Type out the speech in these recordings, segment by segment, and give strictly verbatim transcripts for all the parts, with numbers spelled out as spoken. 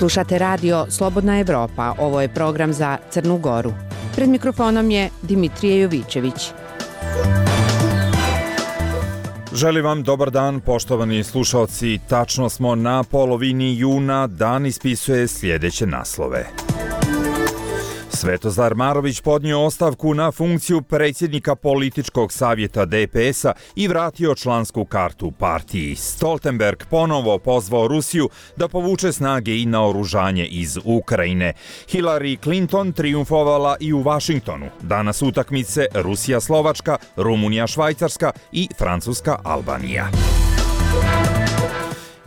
Slušate radio Slobodna Evropa, ovo je program za Crnu Goru. Pred mikrofonom je Dimitrije Jovićević. Želim vam dobar dan, poštovani slušalci. Tačno smo na polovini juna, dan ispisuje sljedeće naslove. Svetozar Marović podnio ostavku na funkciju predsjednika političkog savjeta D P S-a i vratio člansku kartu partiji. Stoltenberg ponovo pozvao Rusiju da povuče snage i naoružanje iz Ukrajine. Hillary Clinton triumfovala i u Vašingtonu. Danas utakmice Rusija-Slovačka, Rumunija-Švajcarska i Francuska-Albanija.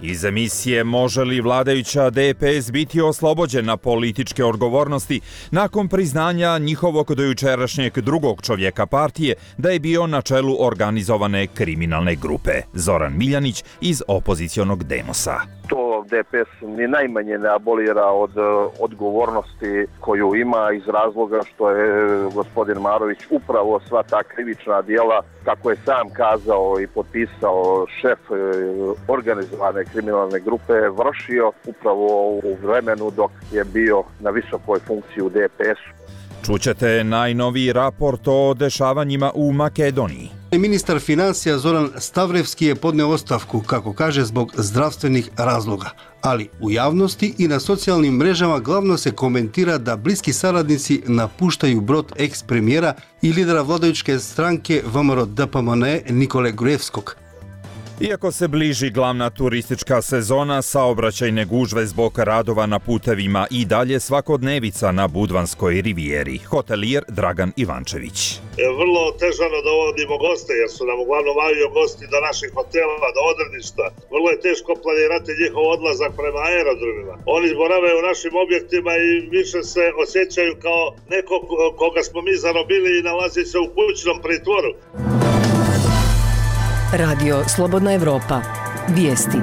Iz emisije Može li vladajuća D P S biti oslobođena političke odgovornosti nakon priznanja njihovog dojučerašnjeg drugog čovjeka partije da je bio na čelu organizovane kriminalne grupe. Zoran Miljanić iz opozicionog Demosa. To D P S ni najmanje ne abolira od odgovornosti koju ima iz razloga što je gospodin Marović upravo sva ta krivična djela, kako je sam kazao i potpisao šef organizovane kriminalne grupe, vršio upravo u vremenu dok je bio na visokoj funkciji u D P S-u. Čućete najnoviji raport o dešavanjima u Makedoniji. Ministar financija Zoran Stavrevski je podneo ostavku, kako kaže, zbog zdravstvenih razloga. Ali u javnosti i na socijalnim mrežama glavno se komentira da bliski saradnici napuštaju brod eks-premijera i lidera vladajuće stranke V M R O D P M N E Nikole Gruevskog. Iako se bliži glavna turistička sezona, saobraćajne gužve zbog radova na putevima i dalje svakodnevica na Budvanskoj rivijeri. Hotelijer Dragan Ivančević. Vrlo težano dovodimo goste jer su nam uglavnom avio gosti do naših hotela, do odredišta. Vrlo je teško planirati njihov odlazak prema aerodromima. Oni borave u našim objektima i više se osjećaju kao neko koga smo mi zarobili i nalazi se u kućnom pritvoru. Radio Slobodna Evropa. Vijesti.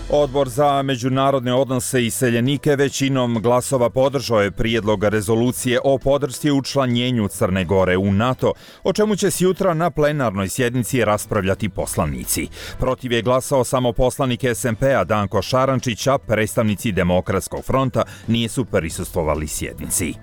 Odbor za međunarodne odnose i iseljenike većinom glasova podržao je prijedlog rezolucije o podršci učlanjenju Crne Gore u NATO, o čemu će se jutra na plenarnoj sjednici raspravljati poslanici. Protiv je glasao samo poslanik S M P-a Danko Šarančić, a predstavnici Demokratskog fronta nisu prisustvovali sjednici.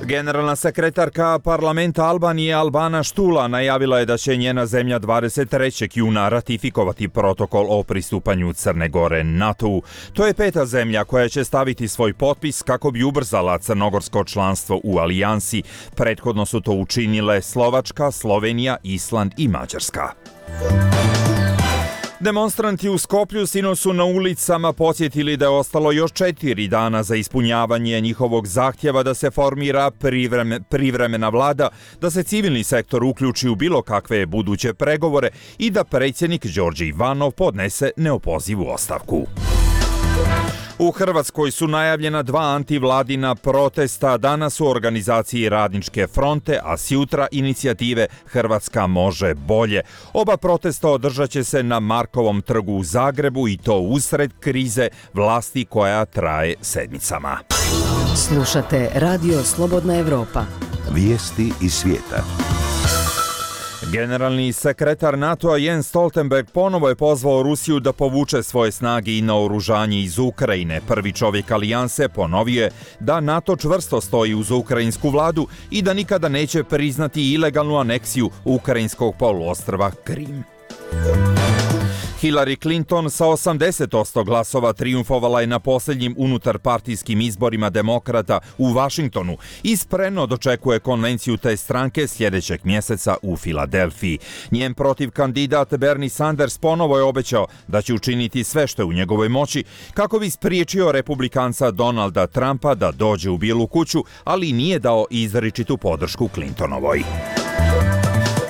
Generalna sekretarka parlamenta Albanije Albana Štula najavila je da će njena zemlja dvadeset trećeg juna ratifikovati protokol o pristupanju Crne Gore NATO-u. To je peta zemlja koja će staviti svoj potpis kako bi ubrzala crnogorsko članstvo u alijansi. Prethodno su to učinile Slovačka, Slovenija, Island i Mađarska. Demonstranti u Skoplju sinoć su na ulicama podsjetili da je ostalo još četiri dana za ispunjavanje njihovog zahtjeva da se formira privreme, privremena vlada, da se civilni sektor uključi u bilo kakve buduće pregovore i da predsjednik Đorđe Ivanov podnese neopozivu ostavku. U Hrvatskoj su najavljena dva antivladina protesta, danas u organizaciji Radničke fronte, a sjutra inicijative Hrvatska može bolje. Oba protesta održat će se na Markovom trgu u Zagrebu i to usred krize vlasti koja traje sedmicama. Slušate Radio Slobodna Evropa. Vijesti iz svijeta. Generalni sekretar NATO-a Jens Stoltenberg ponovo je pozvao Rusiju da povuče svoje snage i naoružanje iz Ukrajine. Prvi čovjek alijanse ponovio je da NATO čvrsto stoji uz ukrajinsku vladu i da nikada neće priznati ilegalnu aneksiju ukrajinskog poluostrva Krim. Hillary Clinton sa osamdeset posto glasova triumfovala je na posljednjim unutarpartijskim izborima demokrata u Vašingtonu i spremno dočekuje konvenciju te stranke sljedećeg mjeseca u Filadelfiji. Njen protiv kandidat Bernie Sanders ponovo je obećao da će učiniti sve što je u njegovoj moći kako bi spriječio republikanca Donalda Trumpa da dođe u Bijelu kuću, ali nije dao izričitu podršku Clintonovoj.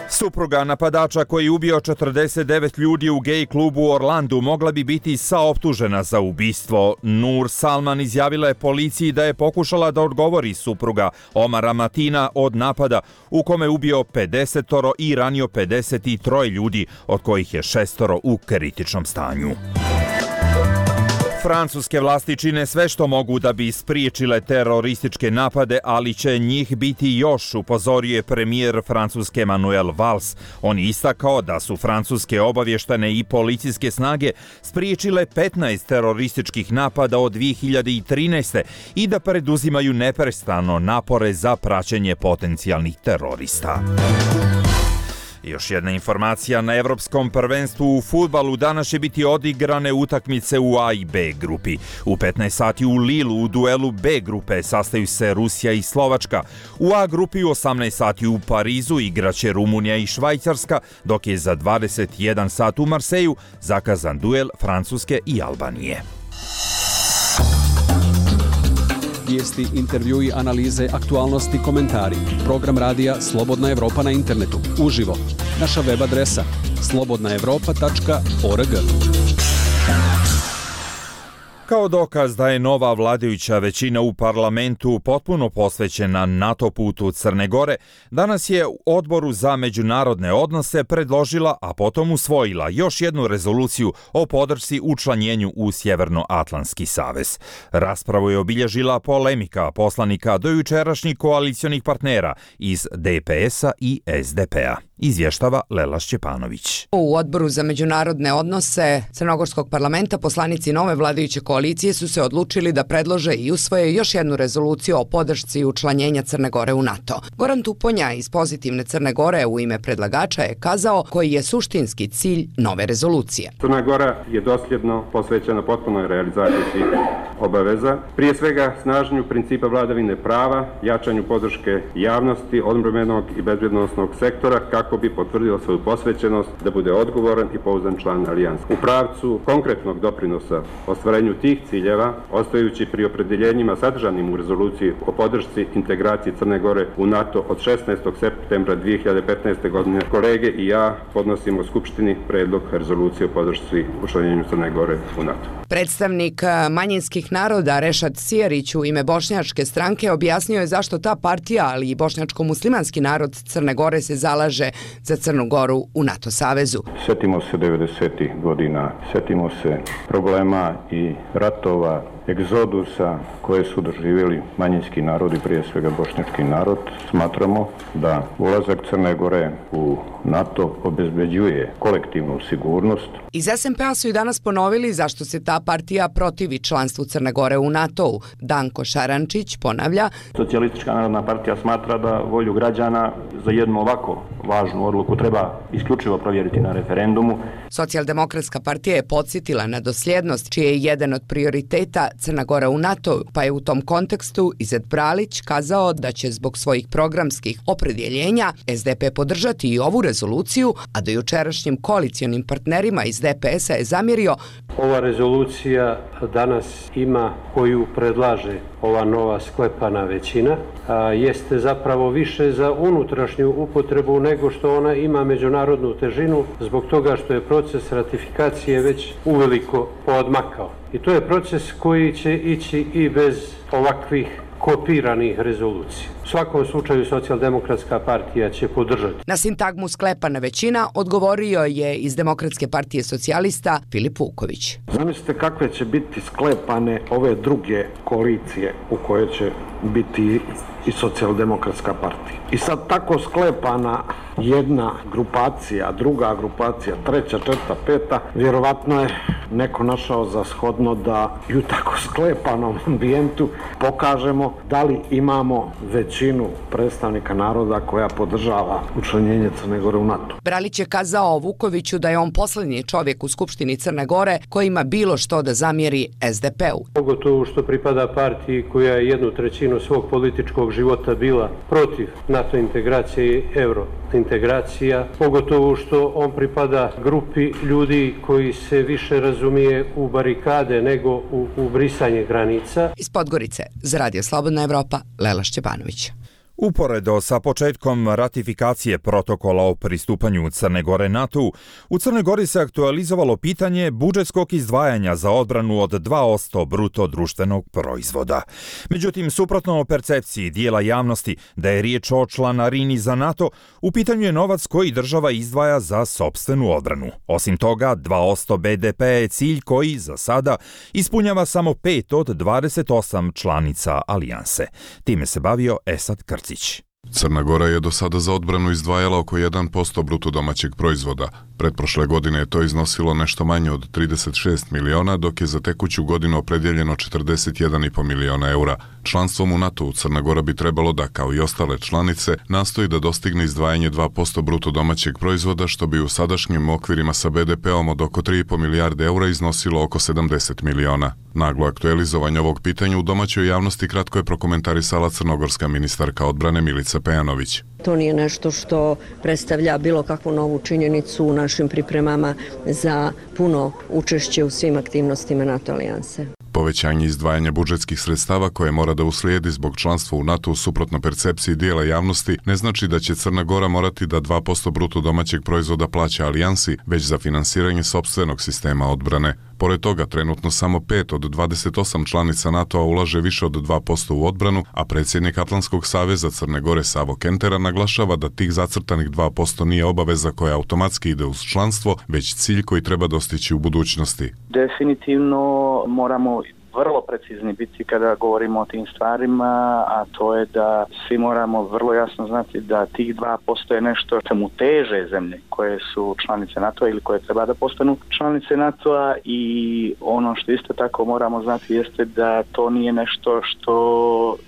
Supruga napadača koji je ubio četrdeset devet ljudi u gej klubu u Orlandu mogla bi biti saoptužena za ubistvo. Nur Salman izjavila je policiji da je pokušala da odgovori supruga Omara Matina od napada u kome je ubio pedesetoro i ranio pedeset tri ljudi, od kojih je šestoro u kritičnom stanju. Francuske vlasti čine sve što mogu da bi spriječile terorističke napade, ali će njih biti još, upozorio je premijer Francuske Manuel Valls. On je istakao da su francuske obavještane i policijske snage spriječile petnaest terorističkih napada od dvije hiljade trinaeste. i da preduzimaju neprestano napore za praćenje potencijalnih terorista. Još jedna informacija, na Evropskom prvenstvu u fudbalu danas će biti odigrane utakmice u A i B grupi. U petnaest sati u Lilu u duelu B grupe sastaju se Rusija i Slovačka. U A grupi u osamnaest sati u Parizu igraće Rumunija i Švajcarska, dok je za dvadeset jedan sat u Marseju zakazan duel Francuske i Albanije. Vijesti, intervjui, analize, aktualnosti, komentari. Program radija Slobodna Evropa na internetu. Uživo. Naša web adresa slobodna evropa tačka org. Kao dokaz da je nova vladajuća većina u parlamentu potpuno posvećena NATO putu Crne Gore, danas je u Odboru za međunarodne odnose predložila, a potom usvojila još jednu rezoluciju o podršci učlanjenju u Sjevernoatlantski savez. Raspravu je obilježila polemika poslanika dojučerašnjih koalicionih partnera iz D P S-a i S D P-a. Izvještava Lela Šćepanović. U Odboru za međunarodne odnose Crnogorskog parlamenta poslanici nove vladajuće koalicije su se odlučili da predlože i usvoje još jednu rezoluciju o podršci učlanjenja Crne Gore u NATO. Goran Tuponja iz Pozitivne Crne Gore u ime predlagača je kazao koji je suštinski cilj nove rezolucije. Crna Gora je dosljedno posvećena potpunoj realizaciji svih obaveza, prije svega snaženju principa vladavine prava, jačanju podrške javnosti, odbrambenog i bezbjednosnog sektora kako bi potvrdio svoju posvećenost da bude odgovoran i pouzdan član alijanse. U pravcu konkretnog doprinosa ostvarenju tih ciljeva, ostajući pri opredeljenjima sadržanim u rezoluciji o podršci integraciji Crne Gore u NATO od šesnaestog septembra dvije hiljade petnaeste. godine, kolege i ja podnosimo Skupštini predlog rezolucije o podršci učlanjenju Crne Gore u NATO. Predstavnik manjinskih naroda Rešad Sijarić u ime Bošnjačke stranke objasnio je zašto ta partija, ali i bošnjačko-muslimanski narod Crne Gore se zalaže za Crnu Goru u NATO savezu. Sjetimo se devedesetih godina, sjetimo se problema i ratova, egzodusa koje su doživjeli manjinski narodi, prije svega bošnjački narod. Smatramo da ulazak Crne Gore u NATO obezbeđuje kolektivnu sigurnost. Iz S N P-a su i danas ponovili zašto se ta partija protivi članstvu Crne Gore u NATO-u. Danko Šarančić ponavlja: Socijalistička narodna partija smatra da volju građana za jednu ovako važnu odluku treba isključivo provjeriti na referendumu. Socijaldemokratska partija je podsjetila na dosljednost, čiji je jedan od prioriteta Crna Gora u NATO, pa je u tom kontekstu Izet Bralić kazao da će zbog svojih programskih opredjeljenja S D P podržati i ovu rezoluciju, a do jučerašnjim koalicionim partnerima iz D P S-a je zamjerio: ova rezolucija danas ima, koju predlaže ova nova sklepana većina, a, jeste zapravo više za unutrašnju upotrebu nego što ona ima međunarodnu težinu, zbog toga što je proces ratifikacije već uveliko poodmakao. I to je proces koji će ići i bez ovakvih kopiranih rezolucija. U svakom slučaju Socijaldemokratska partija će podržati. Na sintagmu sklepana većina odgovorio je iz Demokratske partije socijalista Filip Vuković. Zamislite kakve će biti sklepane ove druge koalicije u kojoj će biti i Socijaldemokratska partija. I sad tako sklepana jedna grupacija, druga grupacija, treća, četvrta, peta, vjerovatno je neko našao za shodno da i u tako sklepanom ambijentu pokažemo da li imamo većinu predstavnika naroda koja podržava učlanjenje Crne Gore u NATO. Bralić je kazao Vukoviću da je on posljednji čovjek u Skupštini Crne Gore koji ima bilo što da zamjeri S D P-u. Pogotovo što pripada partiji koja je jednu trećinu svog političkog života bila protiv NATO integracije i euro integracija, pogotovo što on pripada grupi ljudi koji se više razumije u barikade nego u, u brisanje granica. Iz Podgorice, za Radio Slobodna Evropa, Lela Šćepanović. Uporedo sa početkom ratifikacije protokola o pristupanju Crne Gore NATO-u, u Crnoj Gori se aktualizovalo pitanje budžetskog izdvajanja za odbranu od dva posto bruto društvenog proizvoda. Međutim, suprotno o percepciji dijela javnosti da je riječ o članarini za NATO, u pitanju je novac koji država izdvaja za sopstvenu odbranu. Osim toga, dva posto be de pe je cilj koji, za sada, ispunjava samo pet od dvadeset osam članica alijanse. Time se bavio Esad Krcić. Crna Gora je do sada za odbranu izdvajala oko jedan posto bruto domaćeg proizvoda. Pretprošle godine je to iznosilo nešto manje od trideset šest miliona, dok je za tekuću godinu opredjeljeno četrdeset jedan i po miliona eura. Članstvom u NATO-u Crna Gora bi trebalo da, kao i ostale članice, nastoji da dostigne izdvajanje dva posto bruto domaćeg proizvoda, što bi u sadašnjim okvirima sa be de peom od oko tri i po milijarde eura iznosilo oko sedamdeset miliona. Naglo aktualizovanje ovog pitanja u domaćoj javnosti kratko je prokomentarisala crnogorska ministarka odbrane Milica Pejanović. To nije nešto što predstavlja bilo kakvu novu činjenicu u našim pripremama za puno učešće u svim aktivnostima NATO alijanse. Povećanje izdvajanja budžetskih sredstava koje mora da uslijedi zbog članstva u NATO-u suprotno percepciji dijela javnosti ne znači da će Crna Gora morati da dva posto bruto domaćeg proizvoda plaća alijansi, već za finansiranje sopstvenog sistema odbrane. Pored toga, trenutno samo pet od dvadeset osam članica NATO-a ulaže više od dva posto u odbranu, a predsjednik Atlantskog saveza Crne Gore Savo Kentera naglašava da tih zacrtanih dva posto nije obaveza koja automatski ide uz članstvo, već cilj koji treba dostići u budućnosti. Definitivno moramo vrlo precizni biti kada govorimo o tim stvarima, a to je da svi moramo vrlo jasno znati da tih dva posto je nešto čemu teže zemlje koje su članice NATO-a ili koje treba da postanu članice NATO-a, i ono što isto tako moramo znati jeste da to nije nešto što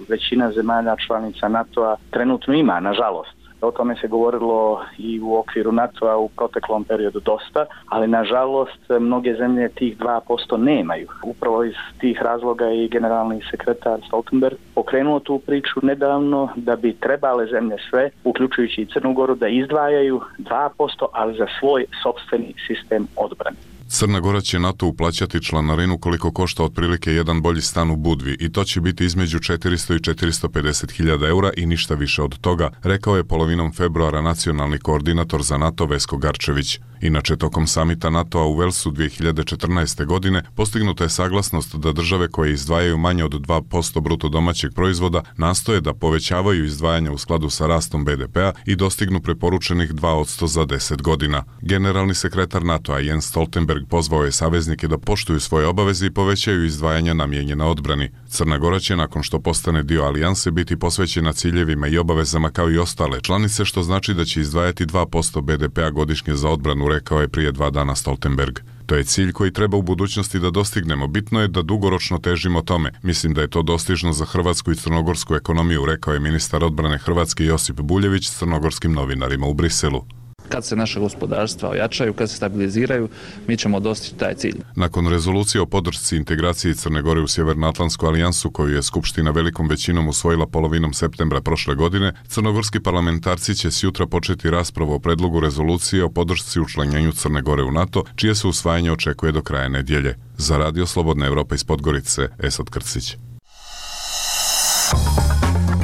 većina zemalja članica NATO-a trenutno ima, nažalost. O tome se govorilo i u okviru NATO-a u proteklom periodu dosta, ali nažalost mnoge zemlje tih dva posto nemaju. Upravo iz tih razloga i generalni sekretar Stoltenberg pokrenuo tu priču nedavno da bi trebale zemlje sve, uključujući i Crnu Goru, da izdvajaju dva posto, ali za svoj sopstveni sistem odbrane. Crna Gora će NATO uplaćati članarinu koliko košta otprilike jedan bolji stan u Budvi, i to će biti između četiristo i četiristo pedeset hiljada eura i ništa više od toga, rekao je polovinom februara nacionalni koordinator za NATO Vesko Garčević. Inače, tokom samita NATO-a u Velsu dvije hiljade četrnaeste. godine postignuta je saglasnost da države koje izdvajaju manje od dva posto bruto domaćeg proizvoda nastoje da povećavaju izdvajanja u skladu sa rastom be de pea i dostignu preporučenih dva posto za deset godina. Generalni sekretar NATO-a Jens Stoltenberg pozvao je saveznike da poštuju svoje obaveze i povećaju izdvajanja namijenjena odbrani. Crna Gora će, nakon što postane dio alijanse, biti posvećena ciljevima i obavezama kao i ostale članice, što znači da će izdvajati dva posto be de pea godišnje za odbranu, rekao je prije dva dana Stoltenberg. To je cilj koji treba u budućnosti da dostignemo. Bitno je da dugoročno težimo tome. Mislim da je to dostižno za hrvatsku i crnogorsku ekonomiju, rekao je ministar odbrane Hrvatske Josip Buljević s crnogorskim novinarima u Briselu. Kad se naše gospodarstva ojačaju, kad se stabiliziraju, mi ćemo dostići taj cilj. Nakon rezolucije o podršci integraciji Crne Gore u Sjevernoatlantsku alijansu, koju je Skupština velikom većinom usvojila polovinom septembra prošle godine, crnogorski parlamentarci će sjutra početi raspravu o predlogu rezolucije o podršci učlanjenju Crne Gore u NATO, čije se usvajanje očekuje do kraja nedjelje. Za Radio Slobodna Evropa iz Podgorice, Esad Krcić.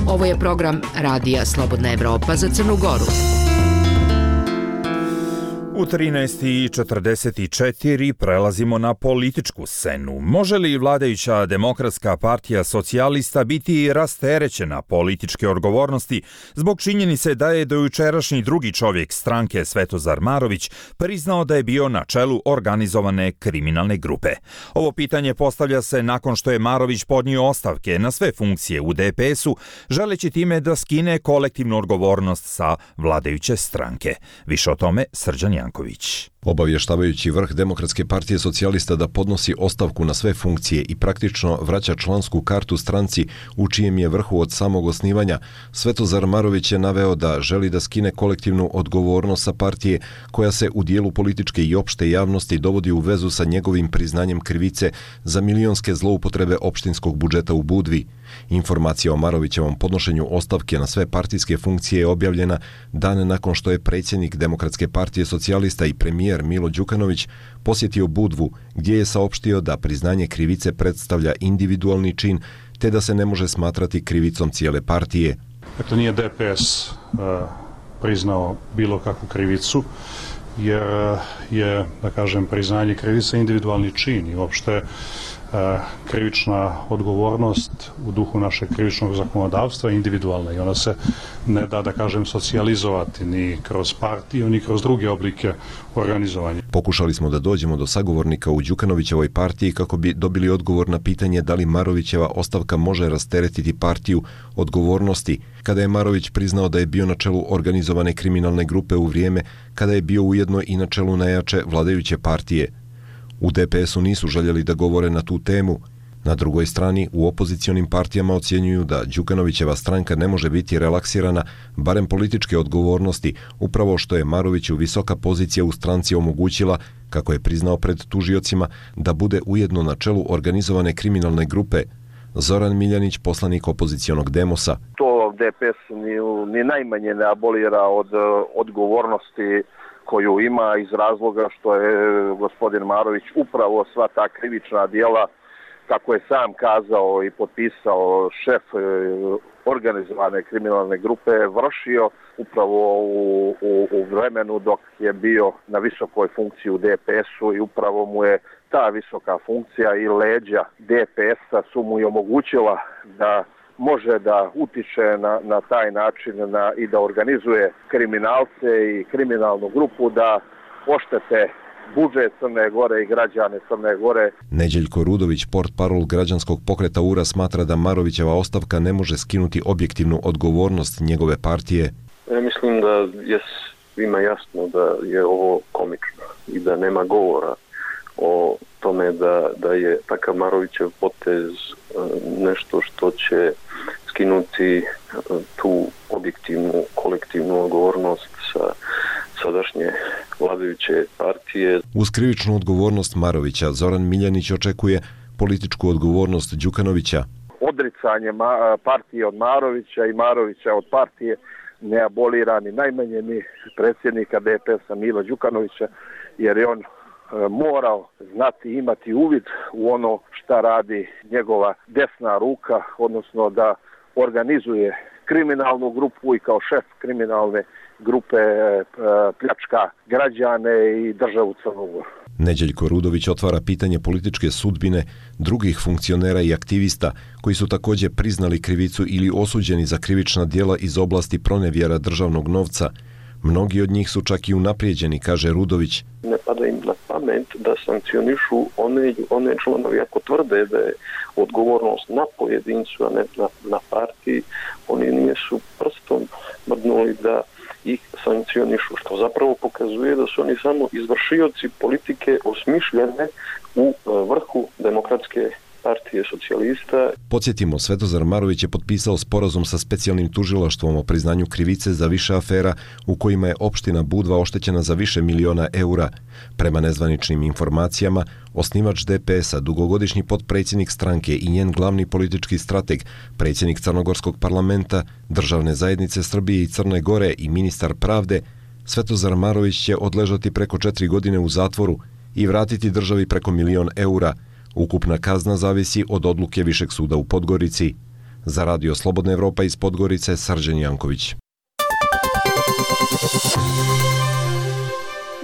Ovo je program Radija Slobodna Evropa za Crnu Goru. U trinaest i četrdeset četiri prelazimo na političku scenu. Može li vladajuća Demokratska partija socijalista biti rasterećena političke odgovornosti zbog činjenice da je dojučerašnji drugi čovjek stranke Svetozar Marović priznao da je bio na čelu organizovane kriminalne grupe? Ovo pitanje postavlja se nakon što je Marović podnio ostavke na sve funkcije u de pe esu, želeći time da skine kolektivnu odgovornost sa vladajuće stranke. Više o tome Srđan Janković. Obavještavajući vrh Demokratske partije socijalista da podnosi ostavku na sve funkcije i praktično vraća člansku kartu stranci u čijem je vrhu od samog osnivanja, Svetozar Marović je naveo da želi da skine kolektivnu odgovornost sa partije koja se u dijelu političke i opšte javnosti dovodi u vezu sa njegovim priznanjem krivice za milionske zloupotrebe opštinskog budžeta u Budvi. Informacija o Marovićevom podnošenju ostavke na sve partijske funkcije je objavljena dan nakon što je predsjednik Demokratske partije socijalista i premijer Milo Đukanović posjetio Budvu, gdje je saopštio da priznanje krivice predstavlja individualni čin te da se ne može smatrati krivicom cijele partije. Dakle, nije D P S priznao bilo kakvu krivicu, jer je, da kažem, priznanje krivice individualni čin i uopšte krivična odgovornost u duhu našeg krivičnog zakonodavstva je individualna i ona se ne da, da kažem, socijalizovati ni kroz partiju, ni kroz druge oblike organizovanja. Pokušali smo da dođemo do sagovornika u Đukanovićevoj partiji kako bi dobili odgovor na pitanje da li Marovićeva ostavka može rasteretiti partiju odgovornosti, kada je Marović priznao da je bio na čelu organizovane kriminalne grupe u vrijeme kada je bio ujedno i na čelu najjače vladajuće partije. U D P S-u nisu željeli da govore na tu temu. Na drugoj strani, u opozicionim partijama ocjenjuju da Đukanovićeva stranka ne može biti relaksirana, barem političke odgovornosti, upravo što je Maroviću visoka pozicija u stranci omogućila, kako je priznao pred tužiocima, da bude ujedno na čelu organizovane kriminalne grupe. Zoran Miljanić, poslanik opozicionog Demosa. To D P S ni, ni najmanje ne abolira od odgovornosti koju ima iz razloga što je gospodin Marović upravo sva ta krivična djela, kako je sam kazao i potpisao šef organizovane kriminalne grupe, vršio upravo u, u, u vremenu dok je bio na visokoj funkciji u D P S-u i upravo mu je ta visoka funkcija i leđa D P S-a su mu i omogućila da može da utiče na, na taj način na, i da organizuje kriminalce i kriminalnu grupu da oštete budžet Crne Gore i građane Crne Gore. Neđeljko Rudović, portparol građanskog pokreta U R A, smatra da Marovićeva ostavka ne može skinuti objektivnu odgovornost njegove partije. Ja mislim da je svima jasno da je ovo komično i da nema govora o tome da, da je takav Marovićev potez nešto što će skinuti tu objektivnu kolektivnu odgovornost sa sadašnje vladajuće partije. Uz krivičnu odgovornost Marovića, Zoran Miljanić očekuje političku odgovornost Đukanovića. Odricanje partije od Marovića i Marovića od partije ne abolira ni najmanje ni predsjednika D P S-a Mila Đukanovića, jer je on morao znati, imati uvid u ono šta radi njegova desna ruka, odnosno da organizuje kriminalnu grupu i kao šef kriminalne grupe pljačka građane i državu Crnu Goru. Neđeljko Rudović otvara pitanje političke sudbine drugih funkcionera i aktivista koji su također priznali krivicu ili osuđeni za krivična djela iz oblasti pronevjera državnog novca. Mnogi od njih su čak i unaprijeđeni, kaže Rudović. Ne pada im na pamet da sankcionišu one, one članovi ako tvrde da je odgovornost na pojedincu, a ne na, na partiji. Oni nisu prstom mrdnuli da ih sankcionišu, što zapravo pokazuje da su oni samo izvršioci politike osmišljene u vrhu demokratske partije socijalista. Podsjetimo, Svetozar Marović je potpisao sporazum sa specijalnim tužilaštvom o priznanju krivice za više afera u kojima je opština Budva oštećena za više miliona eura. Prema nezvaničnim informacijama, osnivač D P S-a, dugogodišnji potpredsjednik stranke i njen glavni politički strateg, predsjednik Crnogorskog parlamenta, Državne zajednice Srbije i Crne Gore i ministar pravde, Svetozar Marović će odležati preko četiri godine u zatvoru i vratiti državi preko milion eura. Ukupna kazna zavisi od odluke Višeg suda u Podgorici. Za Radio Slobodna Evropa iz Podgorice, Srđan Janković.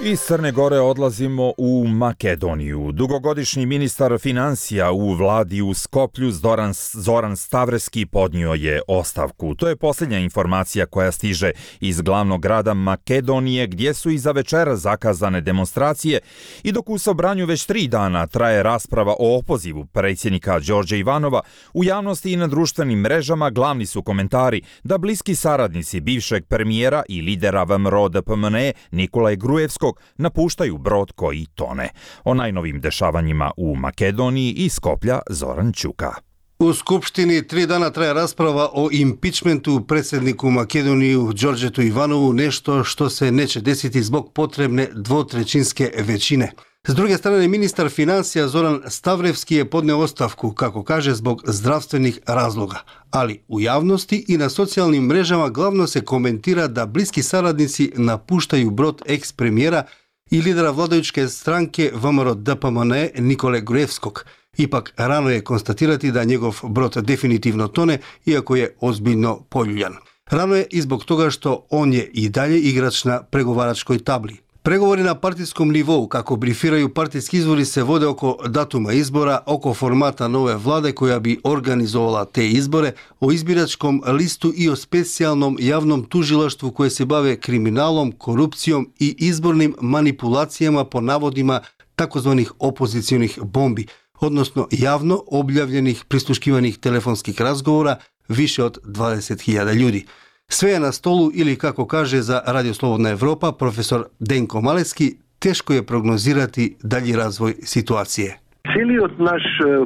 Iz Crne Gore odlazimo u Makedoniju. Dugogodišnji ministar financija u vladi u Skoplju Zoran, Zoran Stavreski podnio je ostavku. To je posljednja informacija koja stiže iz glavnog grada Makedonije, gdje su i za večera zakazane demonstracije i dok u Sobranju već tri dana traje rasprava o opozivu predsjednika Đorđa Ivanova, u javnosti i na društvenim mrežama glavni su komentari da bliski saradnici bivšeg premijera i lidera V M R O D P M N E Nikolaja Grujevskog napuštaju brod koji tone. O najnovim dešavanjima u Makedoniji iz Skoplja Zoran Ćuka. U Skupštini tri dana traje rasprava o impičmentu predsjedniku Makedoniju Đorđetu Ivanovu, nešto što se neće desiti zbog potrebne dvotrećinske većine. S druge strane, ministar financija Zoran Stavrevski je podneo ostavku, kako kaže, zbog zdravstvenih razloga. Ali u javnosti i na socijalnim mrežama glavno se komentira da bliski saradnici napuštaju brod eks-premijera i lidera vladajućke stranke V M R O D P M N E Nikole Grujevskog. Ipak rano je konstatirati da njegov brod definitivno tone, iako je ozbiljno poljuljan. Rano je i zbog toga što on je i dalje igrač na pregovaračkoj tabli. Pregovori na partijskom nivou, kako brifiraju partijski izvori, se vode oko datuma izbora, oko formata nove vlade koja bi organizovala te izbore, o izbiračkom listu i o specijalnom javnom tužilaštvu koje se bave kriminalom, korupcijom i izbornim manipulacijama po navodima takozvanih opozicionih bombi, odnosno javno objavljenih prisluškivanih telefonskih razgovora više od dvadeset hiljada ljudi. Sve je na stolu ili, kako kaže za Radio Slobodna Evropa profesor Denko Maleski, teško je prognozirati dalji razvoj situacije. Cijeli od naš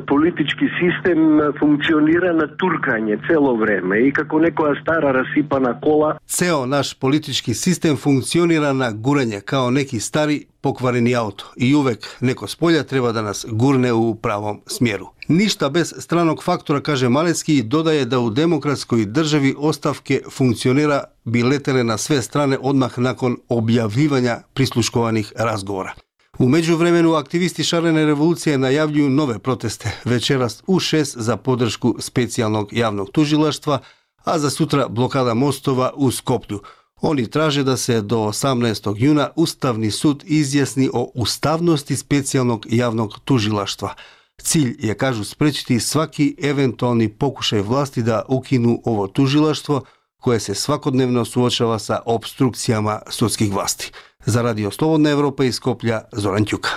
politički sistem funkcionira na turkanje celo vreme i kako nekoja stara rasipana kola. Ceo naš politički sistem funkcionira na guranje kao neki stari pokvareni auto i uvek neko s polja treba da nas gurne u pravom smjeru. Ništa bez stranog faktora, kaže Malecki, i dodaje da u demokratskoj državi ostavke funkcionera bi letele na sve strane odmah nakon objavljivanja prisluškovanih razgovora. U međuvremenu aktivisti šarene revolucije najavljuju nove proteste večeras u šest za podršku specijalnog javnog tužilaštva, a za sutra blokada mostova u Skoplju. Oni traže da se do osamnaestog juna Ustavni sud izjasni o ustavnosti specijalnog javnog tužilaštva. Cilj je, kažu, sprečiti svaki eventualni pokušaj vlasti da ukinu ovo tužilaštvo koje se svakodnevno suočava sa opstrukcijama sudskih vlasti. Za Radio Slobodna Evropa iz Skoplja, Zoran Ćuka.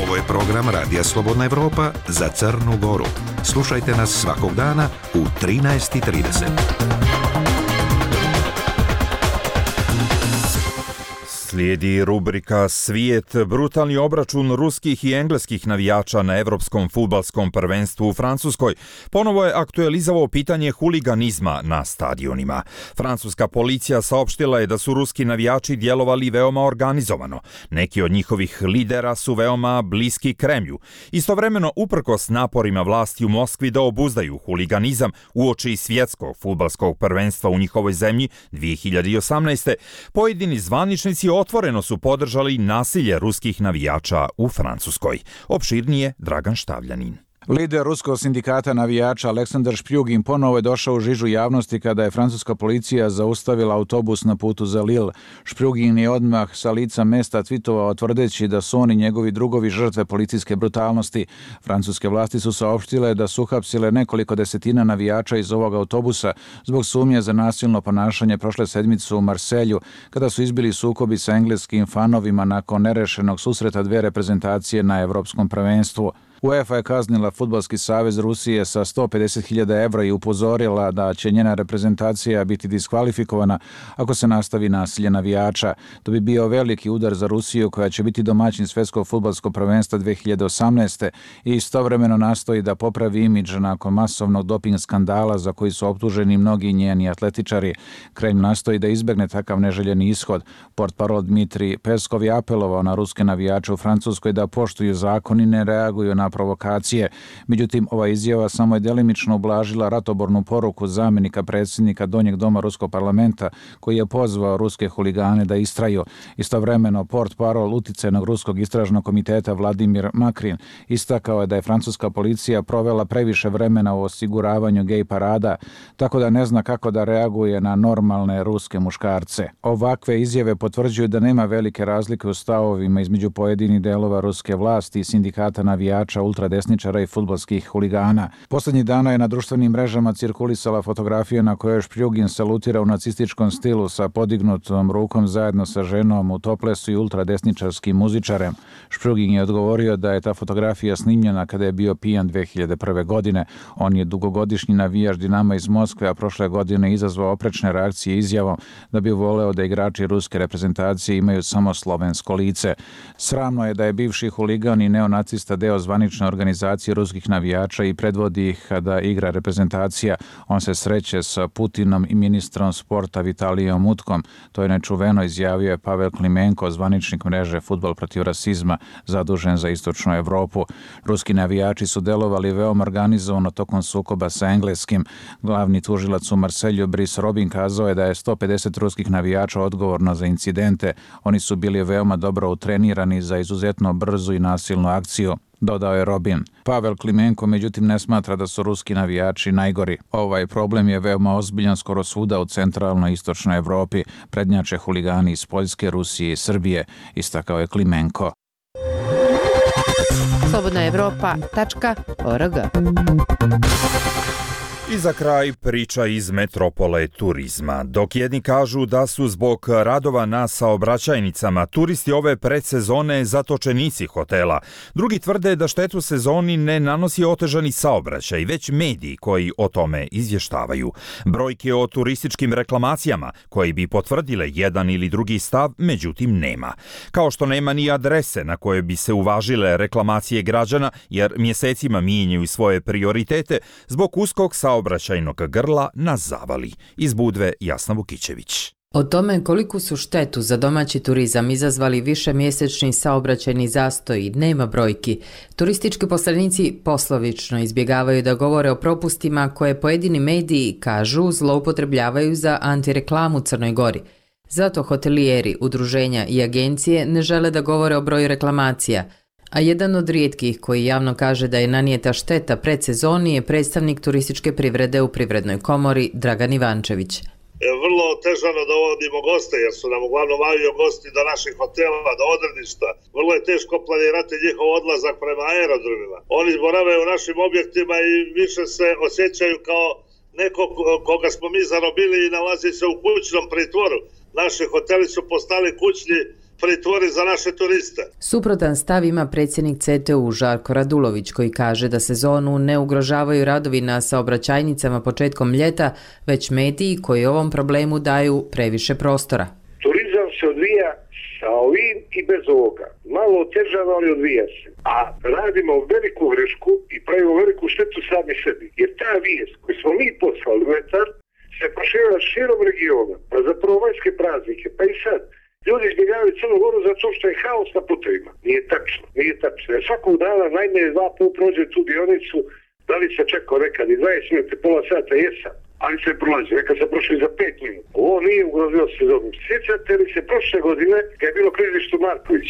Ovo je program Radija Slobodna Evropa za Crnu Goru. Slušajte nas svakog dana u trinaest i trideset. Slijedi rubrika Svijet, brutalni obračun ruskih i engleskih navijača na Evropskom fudbalskom prvenstvu u Francuskoj. Ponovo je aktualizovao pitanje huliganizma na stadionima. Francuska policija saopštila je da su ruski navijači djelovali veoma organizovano. Neki od njihovih lidera su veoma bliski Kremlju. Istovremeno, uprkos naporima vlasti u Moskvi da obuzdaju huliganizam uoči svjetskog fudbalskog prvenstva u njihovoj zemlji dvije hiljade osamnaeste. pojedini zvaničnici otvoreno su podržali nasilje ruskih navijača u Francuskoj. Opširnije Dragan Štavljanin. Lider ruskog sindikata navijača Aleksandar Špjugin ponovo je došao u žižu javnosti kada je francuska policija zaustavila autobus na putu za Lille. Špjugin je odmah sa lica mesta tvitovao tvrdeći da su oni njegovi drugovi žrtve policijske brutalnosti. Francuske vlasti su saopštile da su uhapsile nekoliko desetina navijača iz ovog autobusa zbog sumnje za nasilno ponašanje prošle sedmice u Marselju, kada su izbili sukobi sa engleskim fanovima nakon nerešenog susreta dve reprezentacije na Evropskom prvenstvu. UEFA je kaznila Fudbalski savez Rusije sa sto pedeset hiljada evra i upozorila da će njena reprezentacija biti diskvalifikovana ako se nastavi nasilje navijača. To bi bio veliki udar za Rusiju koja će biti domaćin Svjetskog fudbalskog prvenstva dvije hiljade osamnaeste. i istovremeno nastoji da popravi imidž nakon masovnog doping skandala za koji su optuženi mnogi njeni atletičari. Kremlj nastoji da izbegne takav neželjeni ishod. Portparol Dmitrij Peskov je apelovao na ruske navijače u Francuskoj da poštuju zakon i ne reaguju na provokacije. Međutim, ova izjava samo je delimično ublažila ratobornu poruku zamjenika predsjednika Donjeg doma Ruskog parlamenta koji je pozvao ruske huligane da istraju. Istovremeno, portparol uticajnog ruskog istražnog komiteta Vladimir Makrin istakao je da je francuska policija provela previše vremena u osiguravanju gej parada, tako da ne zna kako da reaguje na normalne ruske muškarce. Ovakve izjave potvrđuju da nema velike razlike u stavovima između pojedinih delova ruske vlasti i sindikata navijača, ultradesničara i fudbalskih huligana. Poslednjih dana je na društvenim mrežama cirkulisala fotografija na kojoj Špjugin salutira u nacističkom stilu sa podignutom rukom zajedno sa ženom u toplesu i ultradesničarskim muzičarem. Špjugin je odgovorio da je ta fotografija snimljena kada je bio pijan dve hiljade prve. godine. On je dugogodišnji navijač Dinama iz Moskve, a prošle godine izazvao oprečne reakcije izjavom da bi voleo da igrači ruske reprezentacije imaju samo slovensko lice. Sramno je da je bivši huligan i neonacista deo zvanične organizacije ruskih navijača i predvodi ih kada igra reprezentacija. On se sreće sa Putinom i ministrom sporta Vitalijom Utkom. To je nečuveno, izjavio je Pavel Klimenko, zvaničnik mreže Fudbal protiv rasizma, zadužen za istočnu Evropu. Ruski navijači su delovali veoma organizovano tokom sukoba sa engleskim. Glavni tužilac u Marselju Brice Robin kazao je da je sto pedeset ruskih navijača odgovorno za incidente. Oni su bili veoma dobro utrenirani za izuzetno brzu i nasilnu akciju. dodao je Robin. Pavel Klimenko međutim ne smatra da su ruski navijači najgori. Ovaj problem je veoma ozbiljan skoro svuda u centralnoj i istočnoj Evropi. Prednjače huligani iz Poljske, Rusije i Srbije, istakao je Klimenko. slobodna evropa tačka org. I za kraj priča iz metropole turizma. Dok jedni kažu da su zbog radova na saobraćajnicama turisti ove predsezone zatočenici hotela, drugi tvrde da štetu sezoni ne nanosi otežani saobraćaj, već mediji koji o tome izvještavaju. Brojke o turističkim reklamacijama koji bi potvrdile jedan ili drugi stav, međutim nema. Kao što nema ni adrese na koje bi se uvažile reklamacije građana, jer mjesecima mijenjaju svoje prioritete zbog uskog saobraćajnog saobraćajnog grla na zavali. Iz Budve Jasna Vukićević. O tome koliku su štetu za domaći turizam izazvali višemjesečni saobraćajni zastoj nema brojki. Turistički poslanici poslovično izbjegavaju da govore o propustima koje pojedini mediji, kažu, zloupotrebljavaju za antireklamu Crnoj Gori. Zato hotelijeri, udruženja i agencije ne žele da govore o broju reklamacija, a jedan od rijetkih koji javno kaže da je nanijeta šteta predsezoni je predstavnik turističke privrede u Privrednoj komori Dragan Ivančević. Vrlo otežano dovodimo goste jer su nam uglavnom avio gosti do naših hotela, do odredišta. Vrlo je teško planirati njihov odlazak prema aerodromima. Oni borave u našim objektima i više se osjećaju kao neko koga smo mi zarobili i nalazi se u kućnom pritvoru. Naši hoteli su postali kućni pritvori za naše turiste. Suprotan stav ima predsjednik C T U Žarko Radulović koji kaže da sezonu ne ugrožavaju radovi na saobraćajnicama početkom ljeta, već mediji koji ovom problemu daju previše prostora. Turizam se odvija sa ovim i bez ovoga. Malo otežano, ali odvija se. A radimo veliku grešku i pravimo veliku štetu sami sebi. Jer ta vijest koju smo mi poslali u etar se proširila širom regiona, pa za prvomajske praznike, pa i sad. Ljudi izbjegavaju Crnu Goru zato što je haos na putevima. Nije tačno, nije tačno. Jer svakog dana najmanje dva put prođe tu dionicu, da li se čekao nekad i dvadeset minuta, pola sata, jesam, ali se prolazi. Nekad se prošli za pet minuta. Ovo nije ugrozilo sezonu. Sjećate li se prošle godine kad je bilo klizište Marković?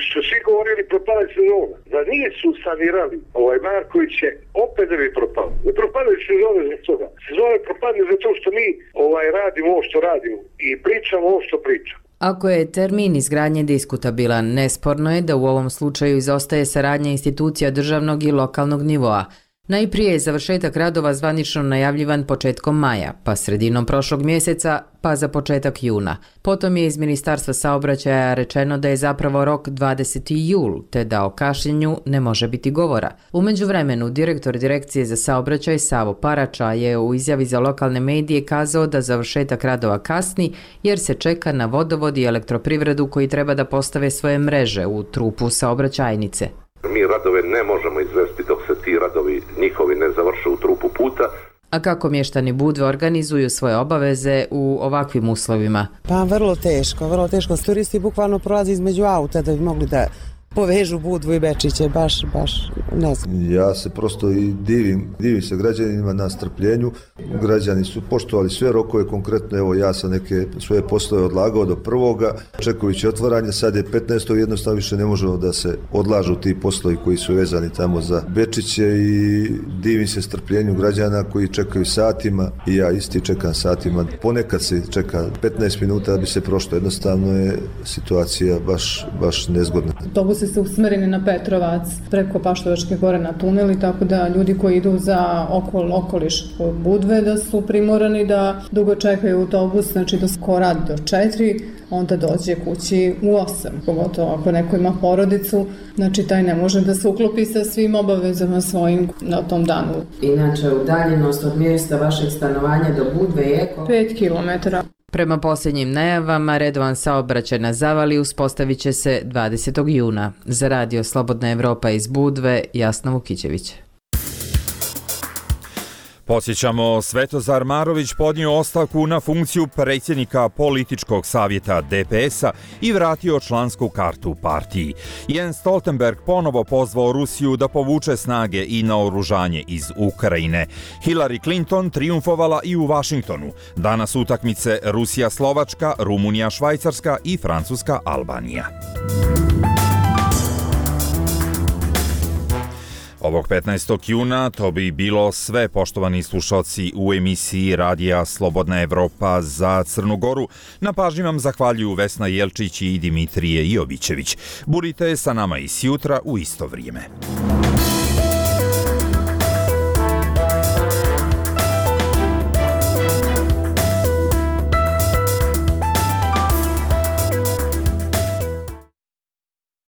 Što svi govorili propala sezona. Da nije su sanirali ovaj Marković je opet da bi propalo. Ne propade sezone zbog toga. Sezone propadne zato što mi ovaj radimo ovo što radimo i pričamo ovo što pričamo. Ako je termin izgradnje diskutabilan, nesporno je da u ovom slučaju izostaje saradnja institucija državnog i lokalnog nivoa. Najprije je završetak radova zvanično najavljivan početkom maja, pa sredinom prošlog mjeseca, pa za početak juna. Potom je iz Ministarstva saobraćaja rečeno da je zapravo rok dvadeseti jul, te da o kašnjenju ne može biti govora. U međuvremenu, direktor Direkcije za saobraćaj Savo Parača je u izjavi za lokalne medije kazao da završetak radova kasni jer se čeka na vodovod i elektroprivredu koji treba da postave svoje mreže u trupu saobraćajnice. Mi radove ne možemo izvesti dok se ti radovi njihovi ne završe u trupu puta. A kako mještani Budve organizuju svoje obaveze u ovakvim uslovima? Pa vrlo teško, vrlo teško. Turisti bukvalno prolazi između auta da bi mogli da povežu Budvu i Bečiće, baš, baš ne znam. Ja se prosto i divim, divim se građanima na strpljenju. Građani su poštovali sve rokove, konkretno evo ja sam neke svoje poslove odlagao do prvoga, čekajući otvaranje, sad je petnaestog jednostavno više ne možemo da se odlažu ti poslovi koji su vezani tamo za Bečiće i divim se strpljenju građana koji čekaju satima i ja isti čekam satima. Ponekad se čeka petnaest minuta da bi se prošlo, jednostavno je situacija baš, baš nezgodna. Autobusi su usmjereni na Petrovac preko Paštovačke gore na tuneli, tako da ljudi koji idu za okol, okoliš Budve da su primorani da dugo čekaju autobus, znači da ko radi do četiri, onda dođe kući u osam. Pogotovo ako neko ima porodicu, znači taj ne može da se uklopi sa svim obavezama svojim na tom danu. Inače, udaljenost od mjesta vašeg stanovanja do Budve je pet kilometara. Prema posljednjim najavama, redovan saobraćaj na zavali uspostavit će se dvadesetog juna. Za radio Slobodna Evropa iz Budve, Jasna Vukićević. Podsjećamo, Svetozar Marović podnio ostavku na funkciju predsjednika političkog savjeta D P S-a i vratio člansku kartu partiji. Jens Stoltenberg ponovo pozvao Rusiju da povuče snage i naoružanje iz Ukrajine. Hillary Clinton triumfovala i u Vašingtonu. Danas utakmice Rusija-Slovačka, Rumunija-Švajcarska i Francuska-Albanija. Ovog petnaestog juna to bi bilo sve, poštovani slušalci, u emisiji Radija Slobodna Evropa za Crnu Goru. Na pažnji vam zahvaljuju Vesna Jelčić i Dimitrije Jovićević. Budite sa nama i sjutra u isto vrijeme.